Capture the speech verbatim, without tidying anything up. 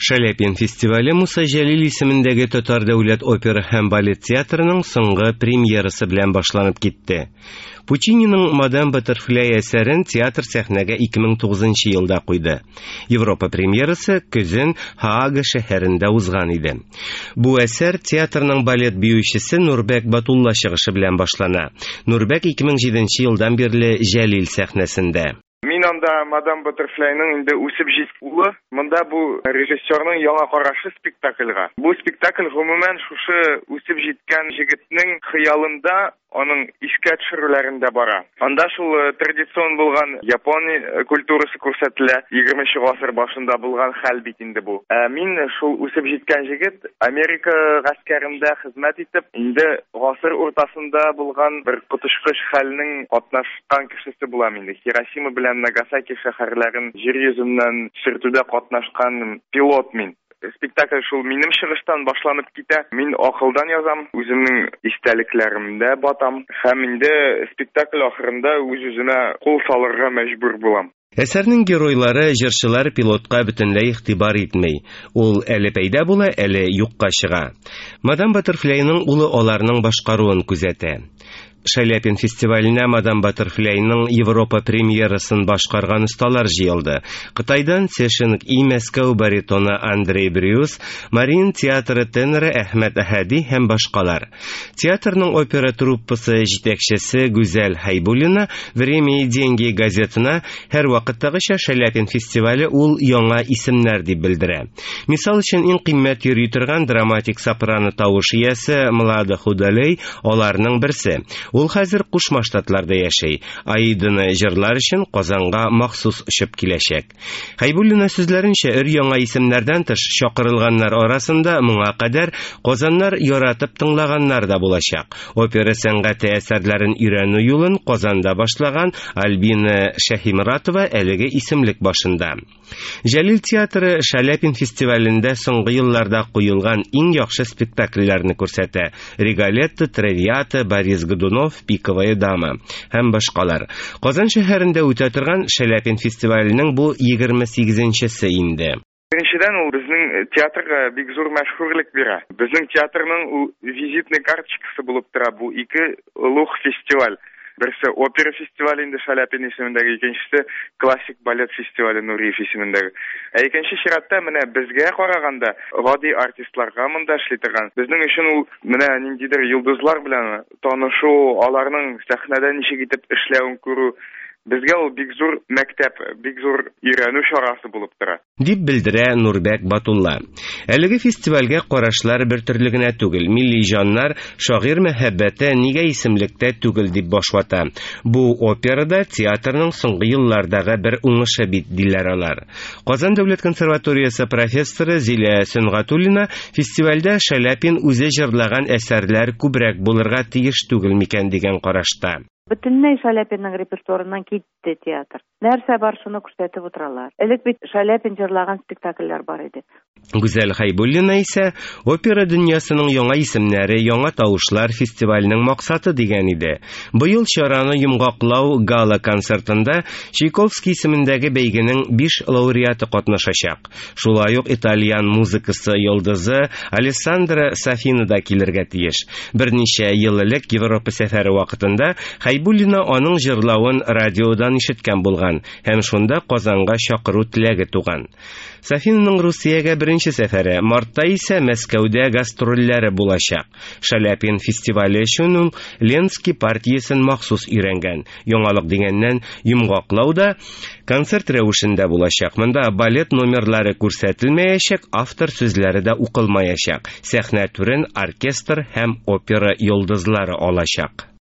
Шаляпин фестивале Муса Җәлил исемендәге Татар дәүләт опера һәм балет театрының соңгы премьерасы белән башланып китте. Пучининың «Мадам Баттерфляй» әсәрен театр сәхнәгә ике мең тугызынчы елда куйды. Европа премьерасы көзен Һаага шәһәрендә узган иде. Бу әсәр театрның балет биючесе Нурбәк Батулла чыгышы белән башлана. Нурбәк ике мең җиденче елдан бирле Җәлил сәхнәсендә. Мин анда Мадам Баттерфляйның инде үсеп җиткән улы. Монда бу режиссерның яңа карашы спектакльгә. Бу спектакль гомумән шушы үсеп җиткән җегетнең хыялында, аның искә төшерүләрендә бара. Анда шул, э, традицион булган япон, э, культурасы күрсәтелә. Егерменче гасыр башында булган хәл бит инде бу. Ә мин шул үсеп җиткән җегет Америка гаскәрендә хезмәт итеп, инде гасыр уртасында булган бер коточкыч хәлнең катнашкан кешесе булам инде. Хиросима белән Нагасаки шәһәрләрен җир йөзеннән сөртүдә катнашкан пилот мин. Спектакль шул минем чыгыштан башланып китә. Мин акылдан язам, үземнең истәлекләремдә батам һәм инде спектакль ахырында үз-үземә кул салырга мәҗбүр булам. Әсәрнең геройлары, җырчылар пилотка бөтенләй игътибар итми. Ул әле пәйда була, әле юкка чыга. Мадам Баттерфляйның улы аларның башкаруын күзәтә. Шаляпин фестиваленә Мадам Баттерфляйның Европа премьерасын башкарган осталар җыелды. Кытайдан Цешинг и Мәскәү баритоны Андрей Брюс, Мариин театры теноры Әхмәт Әһәди һәм башкалар. Театрның опера труппасы җитәкчесе Гүзәл Хәйбуллина Время и деньги газетына һәр вакыттагыча Шаляпин фестивале ул яңа исемнәр дип белдерә. Мисал өчен, иң кыйммәт йөри торган драматик сопрано тавыш иясе Млада Худалей аларның берсе. Ул хәзер Кушма Штатларда яшәй. Аиданы җырлар өчен Казанга махсус очып киләчәк. Хәйбуллина сүзләренчә, өр яңа исемнәрдән тыш чакырылганнар арасында моңа кадәр Казаннар яратып тыңлаганнар да булачак. Опера сәнгате әсәрләрен өйрәнү юлын Казанда башлаган Альбина Шәһимратова әлеге исемлек башында. Җәлил театры Шаляпин фестивалендә соңгы елларда куелган иң яхшы спектакльләрне күрсәтә. Риголетто, Травиата, Борис Годунов, Пиковая дама һәм башкалар. Казан шәһәрендә үтә торган Шаляпин фестиваленең бу егерме сигезенчесе инде. Беренчедән, ул безнең театрга бик зур мәшһүрлек бирә. Безнең театрның ул визитный карточкасы булып тора бу ике олуг фестиваль. Берсе опера фестивале инде Шаляпин исемендәге, икенчесе классик балет фестивале Нуриев исемендәге. Ә икенче чиратта менә безгә караганда гади артистларга монда эшли торган. Безнең өчен ул менә ниндидер йолдызлар белән танышу, аларның сәхнәдә ничек итеп эшләвен күрү, безгә ул бик зур мәктәп, бик зур өйрәнү чарасы булып тора. Дип белдерә Нурбәк Батулла. Әлеге фестивальгә карашлар бер төрле генә түгел. Милли җаннар шагыйрь мәхәббәте нигә исемлектә түгел дип баш вата. Бу операда театрның соңгы еллардагы бер уңышы бит, диләр алар. Казан дәүләт консерваториясе профессоры Зилә Сөнгатуллина фестивальдә Шаляпин үзе җырлаган әсәрләр күбрәк булырга тиеш түгел микән дигән карашта. Бөтенләй Шаляпинның репертуарыннан китте театр. Нәрсә бар, шуны күрсәтеп утыралар. Элек бит Шаляпин җырлаган спектакльләр бар иде. Гүзәл Хәйбуллина исә опера дөньясының яңа исемнәре, яңа тавышлар фестиваленең максаты дигән иде. Быел чараны йомгаклау гала концертында Чайковский исемендәге бәйгенең биш лауреаты катнашачак. Шулай ук итальян музыкасы йолдызы Алессандро Сафина да килергә тиеш. Берничә ел элек Европа сәфәре вакытында Хәйбуллина аның җырлавын радиодан ишеткән булган һәм шунда Казанга чакыру теләге туган. Сафинаның Русиягә беренче сәфәре, мартта исә Мәскәүдә гастрольләре булачак. Шаляпин фестивале өчен ул Ленский партиясен махсус өйрәнгән. Яңалык дигәннән, йомгаклау да концерт рәвешендә булачак. Монда балет номерлары күрсәтелмәячәк, автор сүзләре дә укылмаячак. Сәхнә түрен оркестр һәм опера йолдызлары алачак.